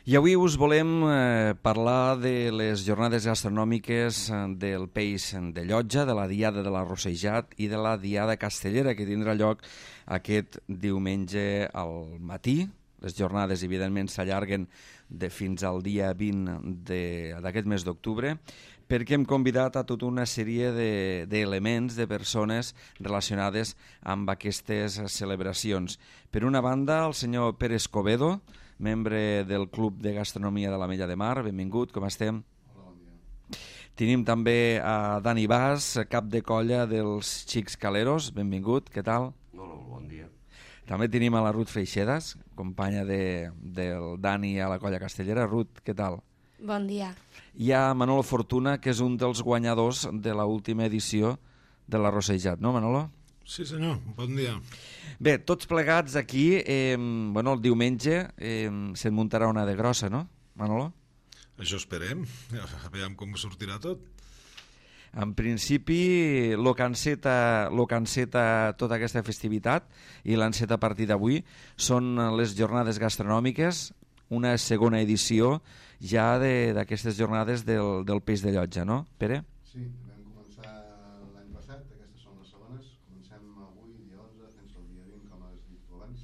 I avui us volem parlar de les jornades gastronòmiques del Peix de Llotja, de la Diada de l'Arrossejat i de la Diada Castellera, que tindrà lloc aquest diumenge al matí. Les jornades, evidentment, s'allarguen fins al dia 20 d'aquest mes d'octubre, perquè hem convidat a tota una sèrie d'elements, de persones relacionades amb aquestes celebracions. Per una banda, el senyor Pere Escobedo, membre del Club de Gastronomia de l'Ametlla de Mar. Benvingut, com estem? Hola, bon dia. Tenim també a Dani Bas, cap de colla dels Xics Caleros. Benvingut, què tal? Hola, bon dia. També tenim a la Ruth Freixedas, companya del Dani a la colla castellera. Ruth, què tal? Bon dia. Hi ha Manolo Fortuna, que és un dels guanyadors de l'última edició de l'Arrossejat, no, Manolo? Sí, senyor, bon dia. Bé, tots plegats aquí, el diumenge se'n muntarà una de grossa, no, Manolo? Això esperem, veiem com sortirà tot. En principi, lo que enceta tota aquesta festivitat i l'enceta a partir d'avui són les jornades gastronòmiques, una segona edició ja d'aquestes jornades del Peix de Llotja, no, Pere? Sí, vam començar l'any passat, aquestes són les segones. Comencem avui, dia 11, fins al dia 20, com has dit abans,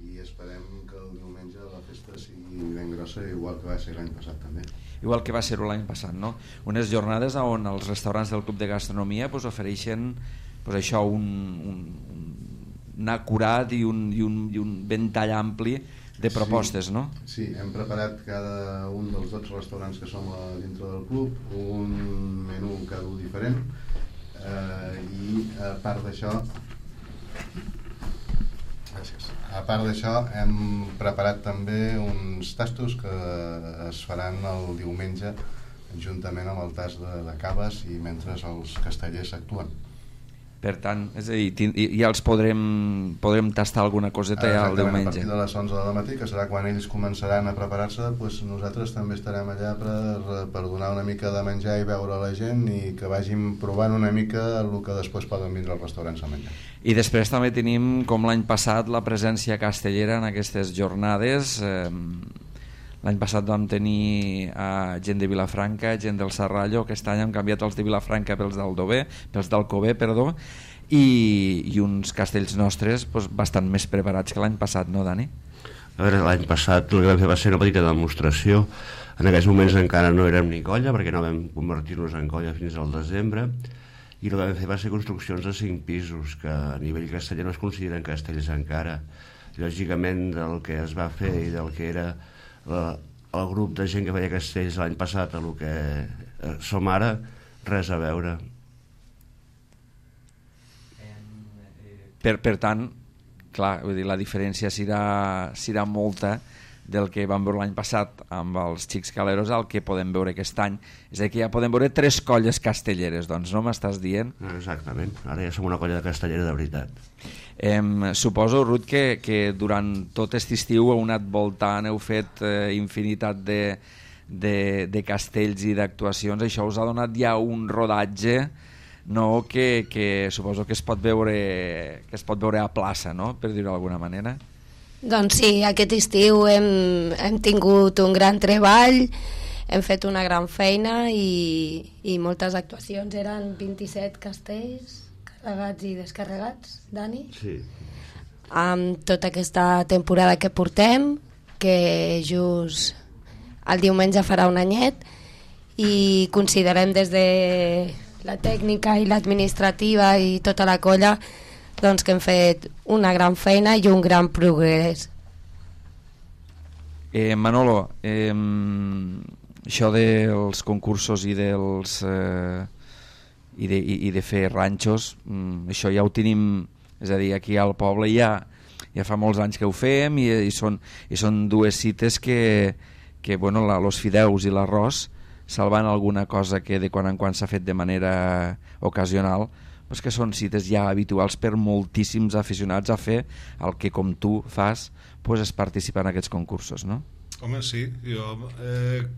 i esperem que el diumenge la festa sigui ben grossa, igual que va ser l'any passat també. Igual que va ser l'any passat, no? Unes jornades on els restaurants del Club de Gastronomia ofereixen això, un acurat i un ventall ampli de propostes, sí, no? Sí, hem preparat cada un dels 12 restaurants que som dintre del club un menú cada un diferent, i a part d'això hem preparat també uns tastos que es faran el diumenge juntament amb el tast de caves i mentre els castellers actuen. Per tant, és a dir, ja els podrem tastar alguna coseta ja el diumenge. A partir de les 11 del matí, que serà quan ells començaran a preparar-se, doncs nosaltres també estarem allà per donar una mica de menjar i veure la gent i que vagin provant una mica el que després poden vindre als restaurants a menjar. I després també tenim, com l'any passat, la presència castellera en aquestes jornades. L'any passat vam tenir gent de Vilafranca, gent del Serrallo. Aquest any hem canviat els de Vilafranca pels d'Alcover, i uns castells nostres bastant més preparats que l'any passat, no, Dani? A veure, l'any passat el que vam fer va ser una petita demostració. En aquells moments encara no érem ni colla, perquè no vam convertir-nos en colla fins al desembre, i el que vam fer va ser construccions de 5 pisos, que a nivell casteller no es consideren castells encara. Lògicament, del que es va fer i del que era el grup de gent que feia castells l'any passat a el que som ara, res a veure. Per tant, clar, vull dir, la diferència serà molta del que vam veure l'any passat amb els Xics Caleros al que podem veure aquest any. És a dir, que ja podem veure 3 colles castelleres, doncs, no m'estàs dient? Exactament, ara ja som una colla de castellera de veritat. Suposo, Ruth, que durant tot aquest estiu heu anat voltant, heu fet infinitat de castells i d'actuacions. Això us ha donat ja un rodatge, no, que suposo que es pot veure a plaça, no?, per dir-ho d'alguna manera. Doncs sí, aquest estiu hem tingut un gran treball, hem fet una gran feina i moltes actuacions. Eren 27 castells carregats i descarregats, Dani? Sí. Amb tota aquesta temporada que portem, que just el diumenge farà un anyet, i considerem des de la tècnica i l'administrativa i tota la colla doncs que hem fet una gran feina i un gran progrés. Manolo, això dels concursos i de fer ranxos, això ja ho tenim, és a dir, aquí al poble ja fa molts anys que ho fem i són 2 cites que bueno, los fideus i l'arròs, salvant alguna cosa que de quan en quan s'ha fet de manera ocasional, doncs que són cites ja habituals per moltíssims aficionats a fer el que com tu fas, és participar en aquests concursos, no? Home, sí, jo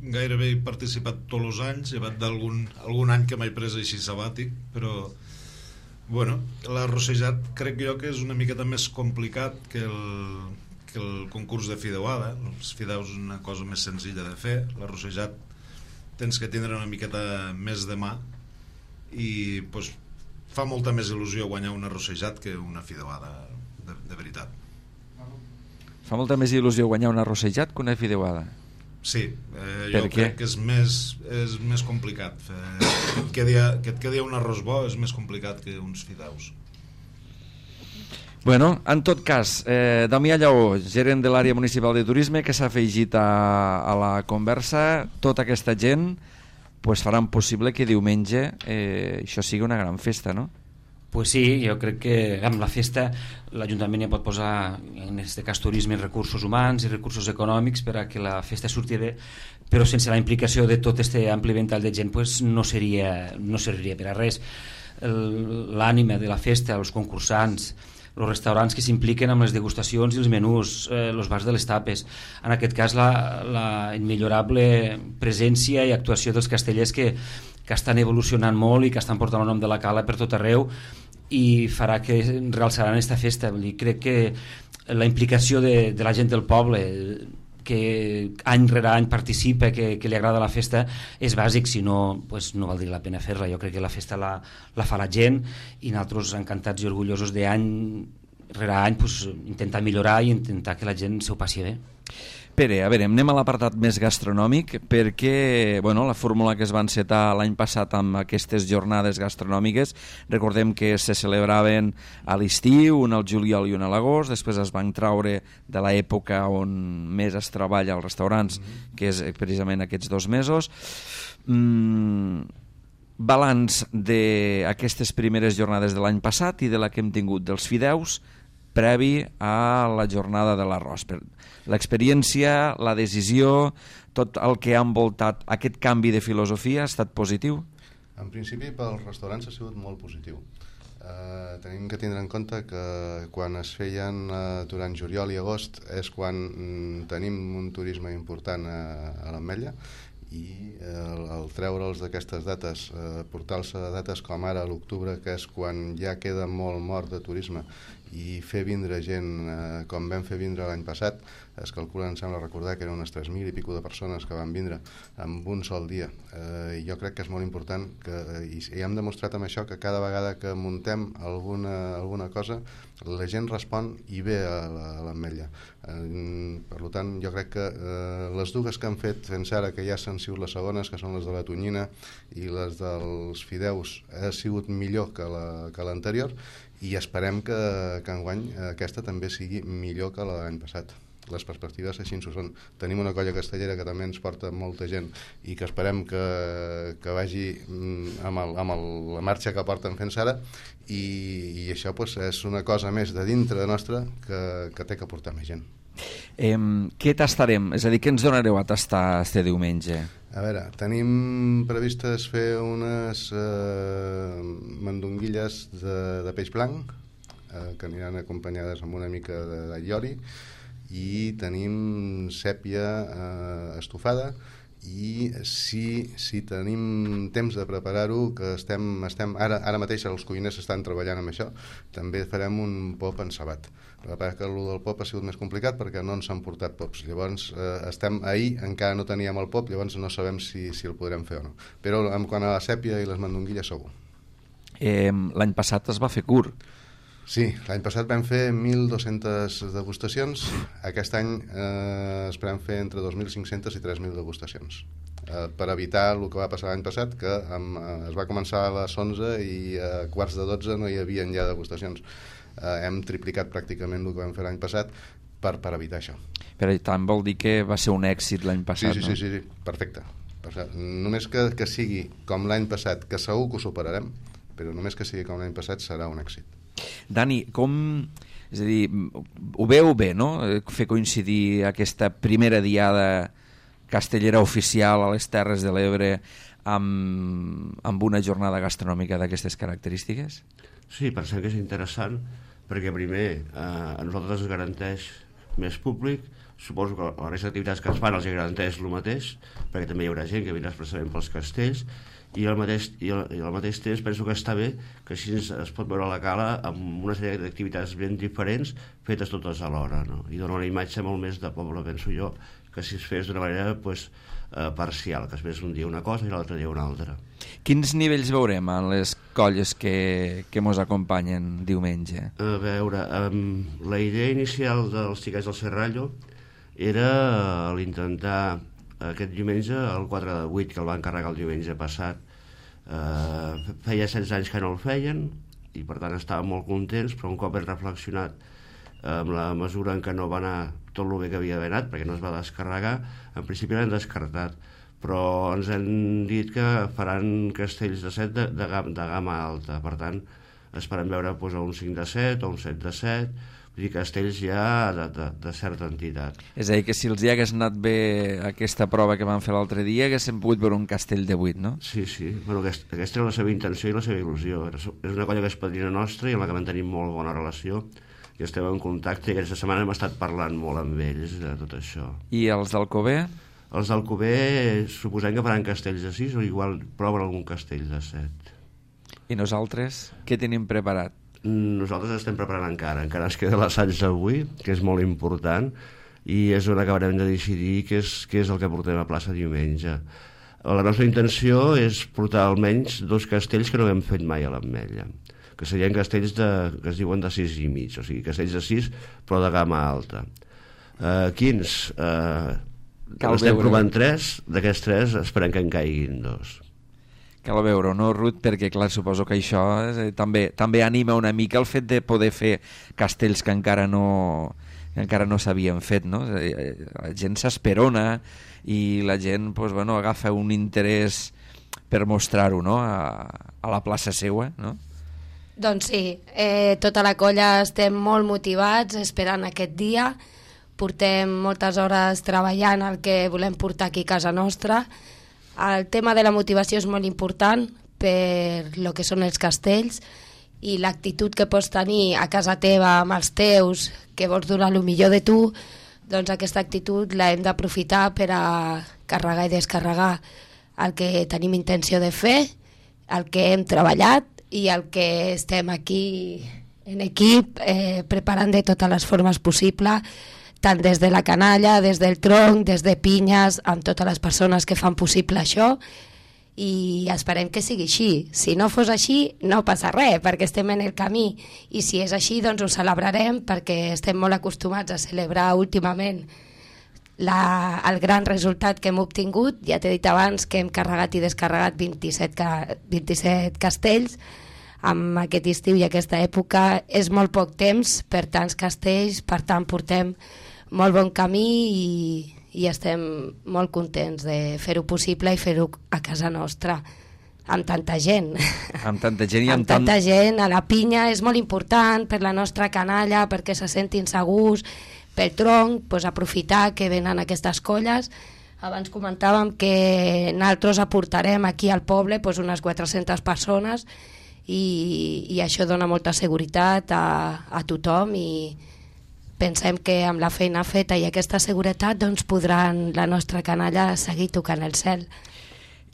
gairebé he participat tots els anys, llevat d'algun any que m'he pres així sabàtic, però bueno, l'arrossejat crec jo que és una miqueta més complicat que que el concurs de fideuada. Els fideus és una cosa més senzilla de fer, l'arrossejat tens que tindre una miqueta més de mà i pues, fa molta més il·lusió guanyar un arrossejat que una fideuada de veritat. Fa molta més il·lusió guanyar un arrossejat que una fideuada. Sí, jo crec que és més complicat. Que et quedi un arròs bo és més complicat que uns fideus. Bueno, en tot cas, Damià Lleó, gerent de l'àrea municipal de turisme, que s'ha afegit a la conversa, tota aquesta gent pues faran possible que diumenge això sigui una gran festa, no? Pues sí, jo crec que amb la festa l'Ajuntament ja pot posar, en aquest cas turisme, recursos humans i recursos econòmics per a que la festa surti bé, però sense la implicació de tot aquest ampli ventall de gent pues no serviria per a res. L'ànima de la festa, els concursants, els restaurants que s'impliquen amb les degustacions i els menús, els bars de les tapes, en aquest cas la immillorable presència i actuació dels castellers que estan evolucionant molt i que estan portant el nom de la Cala per tot arreu i farà que realçaran aquesta festa. Crec que la implicació de la gent del poble, que any rere any participa, que li agrada la festa, és bàsic, si no pues no valdria la pena fer-la. Jo crec que la festa la fa la gent i nosaltres encantats i orgullosos d'any rere any pues, intentar millorar i intentar que la gent s'ho passi bé. Pere, a veure, anem a l'apartat més gastronòmic perquè bueno, la fórmula que es va encetar l'any passat amb aquestes jornades gastronòmiques, recordem que se celebraven a l'estiu, un al juliol i un a l'agost, després es van traure de l'època on més es treballa als restaurants, que és precisament aquests 2 mesos. Balanç d'aquestes primeres jornades de l'any passat i de la que hem tingut dels fideus previ a la jornada de l'arròs. L'experiència, la decisió, tot el que ha envoltat aquest canvi de filosofia ha estat positiu? En principi, pels restaurants ha sigut molt positiu. Tenim que tindre en compte que quan es feien durant juliol i agost és quan tenim un turisme important a l'Ametlla i el treure'ls d'aquestes dates, portar-los a dates com ara a l'octubre, que és quan ja queda molt mort de turisme, i fer vindre gent com vam fer vindre l'any passat, es calcula, em sembla recordar que eren unes 3.000 i pico de persones que van vindre en un sol dia. Jo crec que és molt important i hem demostrat amb això que cada vegada que muntem alguna cosa la gent respon i ve a l'Ametlla. Per tant, jo crec que les dues que han fet fins ara, que ja s'han sigut les segones, que són les de la tonyina i les dels fideus, ha sigut millor que l'anterior, i esperem que enguany aquesta també sigui millor que l'any passat. Les perspectives així ho són. Tenim una colla castellera que també ens porta molta gent i que esperem que vagi amb la marxa que porten fins ara, i això pues, és una cosa més de dintre nostra que té que portar més gent. Què tastarem? És a dir, què ens donareu a tastar este diumenge? A veure, tenim previstes fer unes mandonguilles de peix blanc que aniran acompanyades amb una mica d'allioli, i tenim sèpia estofada, i si tenim temps de preparar-ho, que estem ara mateix els cuiners estan treballant amb això, també farem un pop encebat. El que passa que el del pop ha sigut més complicat perquè no ens han portat pops. Llavors ahir encara no teníem el pop, llavors no sabem si el podrem fer o no, però en quant a la sèpia i les mandonguilles segur. L'any passat es va fer curt. Sí, l'any passat vam fer 1.200 degustacions. Aquest any esperem fer entre 2.500 i 3.000 degustacions, per evitar el que va passar l'any passat, que es va començar a les 11 i a quarts de 12 no hi havia ja degustacions. Hem triplicat pràcticament el que vam fer l'any passat per evitar això. Per tant, vol dir que va ser un èxit l'any passat, sí, no? Sí, perfecte. Només que sigui com l'any passat, que segur que ho superarem, però només que sigui com l'any passat serà un èxit. Dani, és a dir, ho veu bé, no?, fer coincidir aquesta primera diada castellera oficial a les Terres de l'Ebre amb una jornada gastronòmica d'aquestes característiques? Sí, pensem que és interessant perquè primer a nosaltres ens garanteix més públic, suposo que la resta d'activitats que es fan els garanteix el mateix, perquè també hi haurà gent que vindrà expressament pels castells, i al mateix temps penso que està bé que així es pot veure la cala amb una sèrie d'activitats ben diferents fetes totes alhora, no? I dona una imatge molt més de poble, penso jo, que si es fes d'una manera parcial, que es fes un dia una cosa i l'altre dia una altra. Quins nivells veurem en les colles que mos acompanyen diumenge? A veure, la idea inicial dels Xiquets del Serrallo era l'intentar aquest diumenge, el 4 de 8, que el van encarregar el diumenge passat, feia 16 anys que no el feien i per tant estàvem molt contents, però un cop hem reflexionat amb la mesura en què no va anar tot el bé que havia d'haver anat, perquè no es va descarregar, en principi l'hem descartat, però ens han dit que faran castells de 7 de gamma alta, per tant esperem veure un 5 de 7 o un 7 de 7, vull dir, castells ja de certa entitat. És a dir, que si els hi hagués anat bé aquesta prova que van fer l'altre dia, haguéssim pogut veure un castell de 8, no? Sí. Bueno, aquesta era la seva intenció i la seva il·lusió. És una colla que és padrina nostra i amb la que mantenim molt bona relació i estem en contacte, i aquesta setmana hem estat parlant molt amb ells de tot això. I els d'Alcover? Els d'Alcover suposem que faran castells de 6 o igual proven algun castell de 7. I nosaltres què tenim preparat? Nosaltres estem preparant encara ens queda l'assaig d'avui, que és molt important, i és on acabarem de decidir què és el que portem a plaça diumenge. La nostra intenció és portar almenys 2 castells que no hem fet mai a l'Ametlla, que serien castells que es diuen de 6 i mig, o sigui, castells de 6 però de gamma alta. Quins? Estem provant 3, d'aquests 3 esperem que en caiguin 2. Cal veure, no, Ruth? Perquè, clar, suposo que això també anima una mica el fet de poder fer castells que encara no s'havien fet, no? La gent s'esperona i la gent agafa un interès per mostrar-ho, no?, a la plaça seua, no? Doncs sí, tota la colla estem molt motivats esperant aquest dia, portem moltes hores treballant el que volem portar aquí a casa nostra. El tema de la motivació és molt important per lo que són els castells i l'actitud que pots tenir a casa teva amb els teus, que vols donar el millor de tu, doncs aquesta actitud l'hem d'aprofitar per a carregar i descarregar el que tenim intenció de fer, el que hem treballat i el que estem aquí en equip preparant de totes les formes possibles, tant des de la canalla, des del tronc, des de pinyes, amb totes les persones que fan possible això, i esperem que sigui així. Si no fos així, no passa res, perquè estem en el camí, i si és així, doncs ho celebrarem, perquè estem molt acostumats a celebrar últimament el gran resultat que hem obtingut. Ja t'he dit abans que hem carregat i descarregat 27 castells, amb aquest estiu i aquesta època és molt poc temps per tants castells, per tant portem molt bon camí i estem molt contents de fer-ho possible i fer-ho a casa nostra amb tanta gent. Amb tanta gent i amb tanta gent. A la pinya és molt important per la nostra canalla, perquè se sentin segurs, pel tronc, doncs aprofitar que venen aquestes colles. Abans comentàvem que nosaltres aportarem aquí al poble doncs unes 400 persones i això dona molta seguretat a tothom, i pensem que amb la feina feta i aquesta seguretat doncs podran la nostra canalla seguir tocant el cel.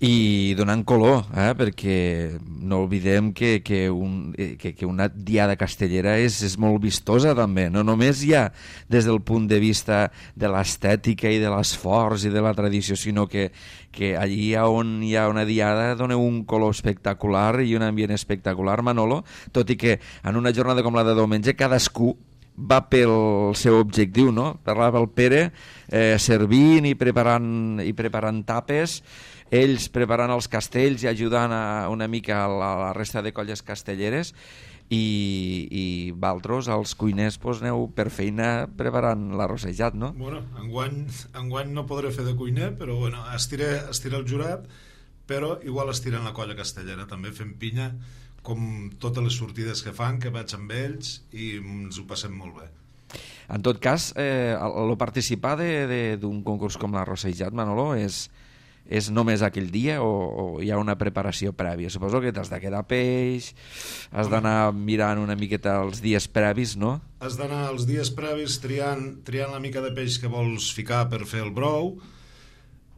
I donant color, perquè no oblidem que una diada castellera és molt vistosa també, no només ja des del punt de vista de l'estètica i de l'esforç i de la tradició, sinó que allí on hi ha una diada dona un color espectacular i un ambient espectacular, Manolo, tot i que en una jornada com la de diumenge cadascú va pel seu objectiu, no? Parlava el Pere servint i preparant tapes, ells preparant els castells i ajudant una mica a la resta de colles castelleres, i vosaltres, els cuiners, aneu per feina preparant l'arrossejat, no? Bueno, enguany no podré fer de cuiner, però bueno, estira el jurat, però igual estiren la colla castellera també fent pinya, com totes les sortides que fan, que vaig amb ells i ens ho passem molt bé. En tot cas, el participar d'un concurs com l'arrossejat, Manolo, és només aquell dia o hi ha una preparació prèvia? Suposo que t'has de quedar peix, has d'anar mirant una miqueta els dies previs, no? Has d'anar els dies previs triant la mica de peix que vols ficar per fer el brou,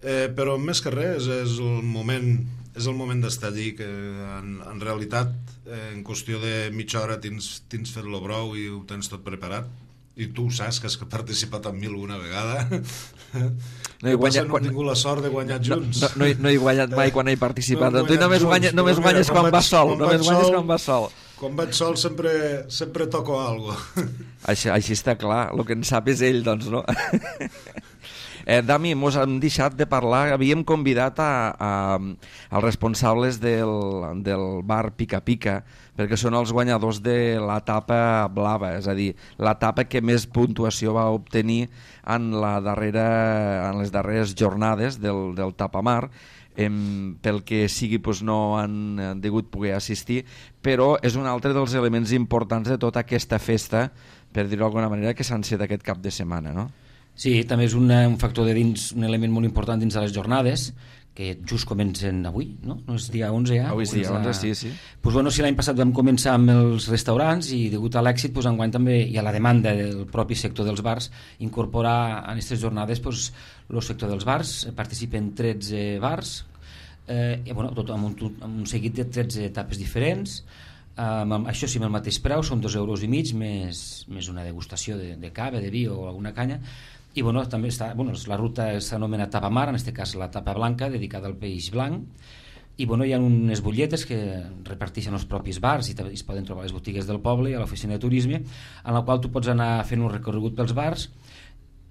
però més que res és el moment d'estar allí, que en realitat en qüestió de mitja hora tens fet el brou i ho tens tot preparat, i tu saps que has participat en 1001 vegada. No he tingut la sort de guanyar junts. No he guanyat mai quan he participat. Tu només guanyes quan vas sol. Quan vaig sol sempre toco alguna cosa. Així està clar, el que en sap és ell, doncs, no? Dami, mos hem deixat de parlar, havíem convidat als responsables del bar Pica Pica, perquè són els guanyadors de l'etapa blava, és a dir, l'etapa que més puntuació va obtenir en les darreres jornades del Tapamar. Pel que sigui no han degut poder assistir, però és un altre dels elements importants de tota aquesta festa, per dir-ho d'alguna manera, que s'ha encet aquest cap de setmana, no? Sí, també és un factor de dins, un element molt important dins de les jornades, que just comencen avui, no? No és dia 11 ja? Avui és dia 11, sí. Pues bueno, si l'any passat vam començar amb els restaurants i degut a l'èxit, pues enguany també i a la demanda del propi sector dels bars, incorporar en aquestes jornades pues, el sector dels bars, participen 13 bars, bueno, tot amb un seguit de 13 etapes diferents, això sí, amb el mateix preu, són 2,5 euros més una degustació de cava, de vi o alguna canya. I bueno, també la ruta s'anomena Tapamar, en aquest cas la tapa blanca, dedicada al peix blanc, i bueno, hi ha unes butlletes que reparteixen els propis bars i es poden trobar a les botigues del poble i a l'oficina de turisme, en la qual tu pots anar fent un recorregut pels bars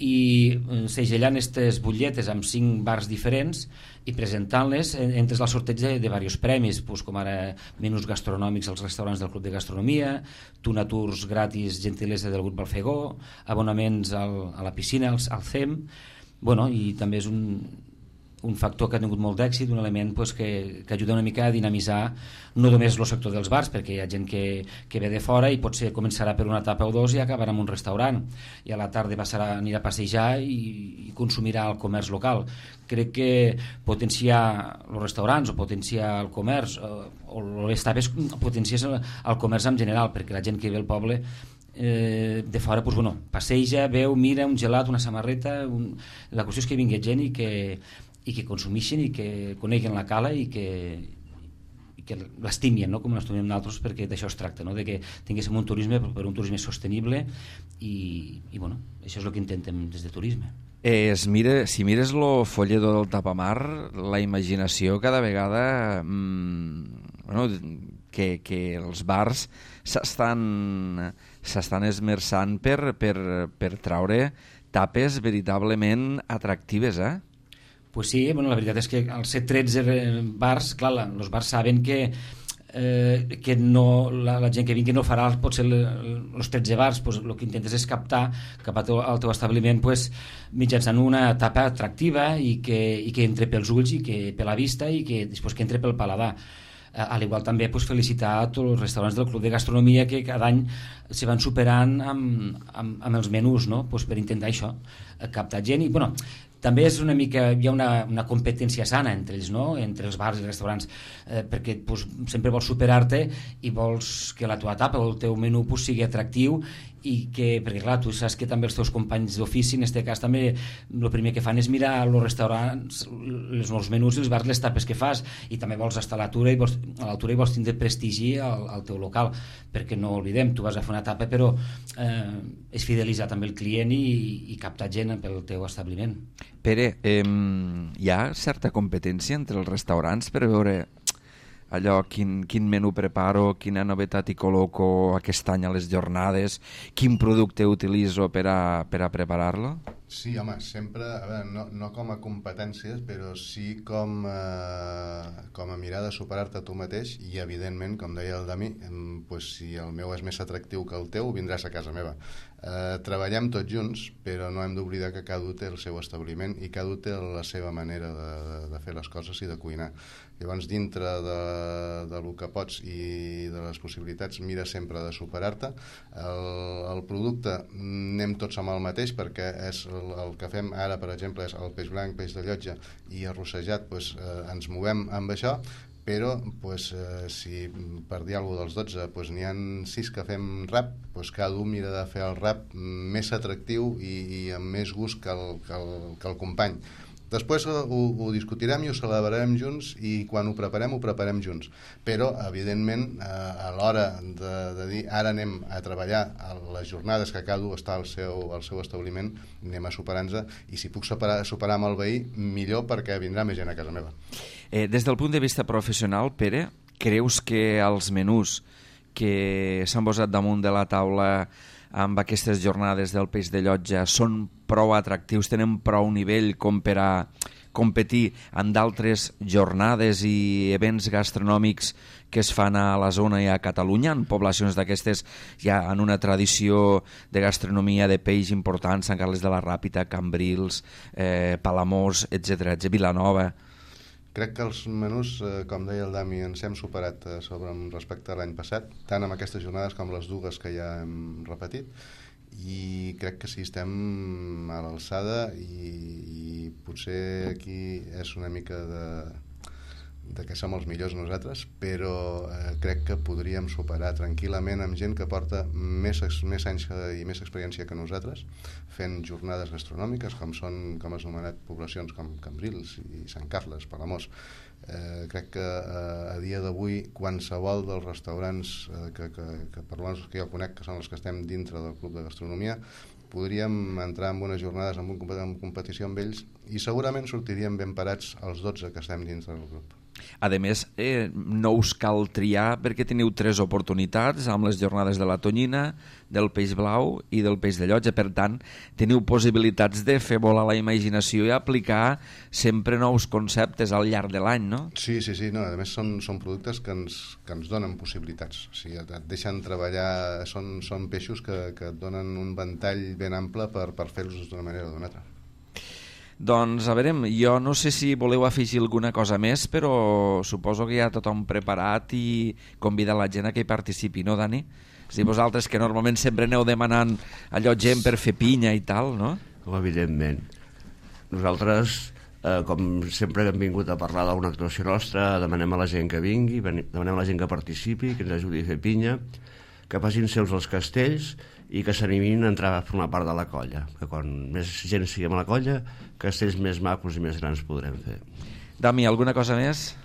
i segellant aquestes butlletes amb 5 bars diferents i presentant-les, entres al sorteig de diversos premis, com ara menús gastronòmics als restaurants del Club de Gastronomia, tuna tours gratis gentilesa del grup Balfegó, abonaments a la piscina, al CEM, bueno, i també és un factor que ha tingut molt d'èxit, un element que ajuda una mica a dinamitzar no només el sector dels bars, perquè hi ha gent que ve de fora i potser començarà per una etapa o dos i acabarà en un restaurant, i a la tarda anirà a passejar i consumirà el comerç local. Crec que potenciar els restaurants o potenciar el comerç o les tapes potencies el comerç en general, perquè la gent que ve al poble de fora passeja, veu, mira un gelat, una samarreta, la qüestió és que vingui gent i que consumeixin i que coneguen la cala i que l'estimien, no? Com l'estimem nosaltres, perquè d'això es tracta, no? De que tinguéssim un turisme per un turisme sostenible i bueno, això és el que intentem des de turisme. Si mires el folleto del Tapamar, la imaginació cada vegada que els bars s'estan esmerçant per traure tapes veritablement atractives, Pues sí, bueno, la veritat és que al ser 13 bars, clar, els bars saben que no, la gent que vingui no farà potser els 13 bars, pues, el que intentes és captar cap al teu establiment mitjançant una tapa atractiva i que entre pels ulls i que per la vista i que després que entre pel paladar. A l'igual també felicitar a tots els restaurants del Club de Gastronomia que cada any se van superant amb els menús, no? Per intentar això, captar gent i bueno, també és una mica, hi ha una competència sana entre ells, no? Entre els bars i els restaurants, perquè sempre vols superar-te i vols que la teva tapa o el teu menú sigui atractiu i perquè clar, tu saps que també els teus companys d'ofici, en aquest cas també el primer que fan és mirar els restaurants, els menús i els bars, les tapes que fas, i també vols estar a l'altura i vols tindre prestigi al teu local, perquè no oblidem, tu vas a fer una tapa però és fidelitzar també el client i captar gent pel teu establiment. Pere, hi ha certa competència entre els restaurants per veure allò, quin menú preparo, quina novetat hi col·loco aquest any a les jornades, quin producte utilitzo per a preparar-lo? Sí, home, sempre, a veure, no com a competències, però sí com a mirar de superar-te tu mateix i, evidentment, com deia el Dami, pues, si el meu és més atractiu que el teu, vindràs a casa meva. Treballem tots junts, però no hem d'oblidar que cada un té el seu establiment i cada un té la seva manera de fer les coses i de cuinar. Llavors, dintre del que pots i de les possibilitats, mira sempre de superar-te. El producte anem tots amb el mateix, perquè és el que fem ara, per exemple, és el peix blanc, peix de llotja i arrossejat, doncs, ens movem amb això, però si per dir alguna dels 12 n'hi ha 6 que fem rap, cada un mira de fer el rap més atractiu i amb més gust que el company. Després ho discutirem i ho celebrarem junts, i quan ho preparem junts. Però, evidentment, a l'hora de dir ara anem a treballar a les jornades que cada un està al seu establiment, anem a superar-nos, i si puc superar amb el veí, millor, perquè vindrà més gent a casa meva. Des del punt de vista professional, Pere, creus que els menús que s'han posat damunt de la taula amb aquestes jornades del peix de llotja són prou atractius, tenen prou nivell com per a competir en d'altres jornades i events gastronòmics que es fan a la zona i a Catalunya, en poblacions d'aquestes ja en una tradició de gastronomia de peix important, Sant Carles de la Ràpita, Cambrils, Palamós, etc., Vilanova? Crec que els menús, com deia el Dami, ens hem superat respecte a l'any passat, tant amb aquestes jornades com les dues que ja hem repetit, i crec que sí, estem a l'alçada, i potser aquí és una mica de que som els millors nosaltres, però crec que podríem superar tranquil·lament amb gent que porta més anys i més experiència que nosaltres, fent jornades gastronòmiques, com has anomenat poblacions com Cambrils i Sant Carles, Palamós. Crec que a dia d'avui qualsevol dels restaurants que per l'almenys que jo conec, que són els que estem dintre del Club de Gastronomia, podríem entrar en unes jornades en competició amb ells, i segurament sortiríem ben parats els 12 que estem dintre del grup. A més, no us cal triar perquè teniu 3 oportunitats amb les jornades de la tonyina, del peix blau i del peix de llotja. Per tant, teniu possibilitats de fer volar la imaginació i aplicar sempre nous conceptes al llarg de l'any, no? Sí, no, a més són productes que ens donen possibilitats. O sigui, et deixen treballar, són peixos que et donen un ventall ben ample per fer-los d'una manera o d'una altra. Doncs a veure, jo no sé si voleu afegir alguna cosa més, però suposo que ja tothom preparat i convida la gent a que hi participi, no, Dani? És a dir, vosaltres que normalment sempre aneu demanant allò gent per fer pinya i tal, no? Evidentment. Nosaltres, com sempre que hem vingut a parlar d'una actuació nostra, demanem a la gent que vingui, demanem a la gent que participi, que ens ajudi a fer pinya, que facin seus els castells i que s'animin a entrar a formar part de la colla, que quan més gent siguem a la colla, castells més macos i més grans podrem fer. Dami, alguna cosa més?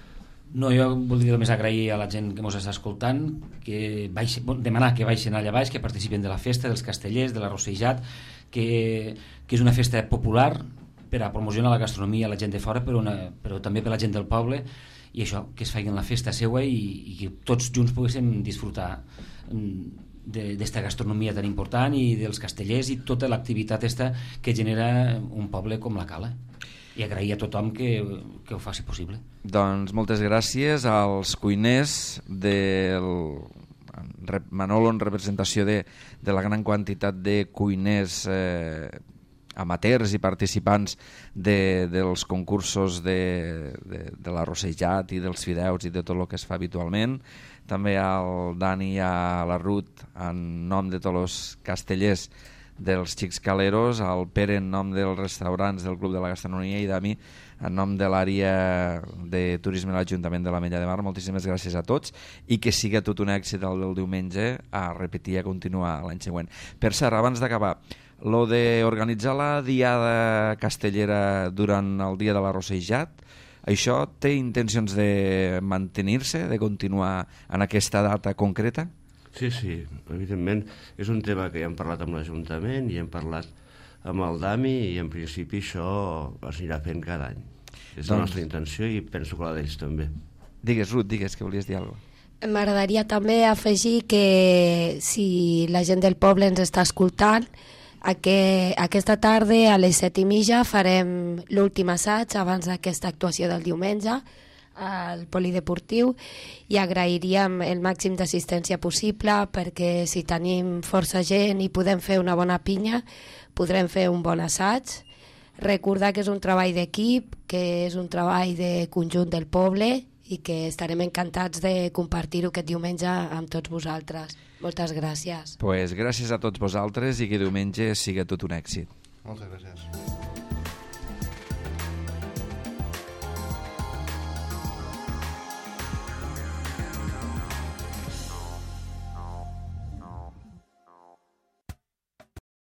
No, jo voldria només agrair a la gent que ens està escoltant, demanar que baixin allà baix, que participen de la festa, dels castellers, de l'arrossejat, que és una festa popular per a promocionar la gastronomia a la gent de fora, però també per a la gent del poble, i això, que es facin la festa seua i que tots junts poguéssim disfrutar d'esta gastronomia tan important i dels castellers i tota l'activitat que genera un poble com la Cala, i agrair a tothom que ho faci possible. Doncs moltes gràcies als cuiners del Manolo, en representació de la gran quantitat de cuiners amateurs i participants dels concursos de l'arrossejat i dels fideus i de tot el que es fa habitualment. També al Dani i a la Ruth en nom de tots els castellers dels Xics Caleros, al Pere en nom dels restaurants del Club de la Gastronomia i Dami en nom de l'àrea de turisme de l'Ajuntament de l'Ametlla de Mar. Moltíssimes gràcies a tots i que siga tot un èxit el del diumenge, a repetir i a continuar l'any següent. Per cert, abans d'acabar, lo d'organitzar la diada castellera durant el dia de l'arrossejat, això té intencions de mantenir-se, de continuar en aquesta data concreta? Sí, evidentment. És un tema que ja hem parlat amb l'Ajuntament i hem parlat amb el Dami i en principi això es anirà fent cada any. És la nostra intenció i penso que la d'ells també. Digues, Ruth, que volies dir alguna cosa. M'agradaria també afegir que si la gent del poble ens està escoltant, aquesta tarda a les 7:30 farem l'últim assaig abans d'aquesta actuació del diumenge al polideportiu i agrairíem el màxim d'assistència possible perquè si tenim força gent i podem fer una bona pinya podrem fer un bon assaig. Recordar que és un treball d'equip, que és un treball de conjunt del poble i que estarem encantats de compartir-ho aquest diumenge amb tots vosaltres. Moltes gràcies. Pues gràcies a tots vosaltres i que diumenge siga tot un èxit. Moltes gràcies.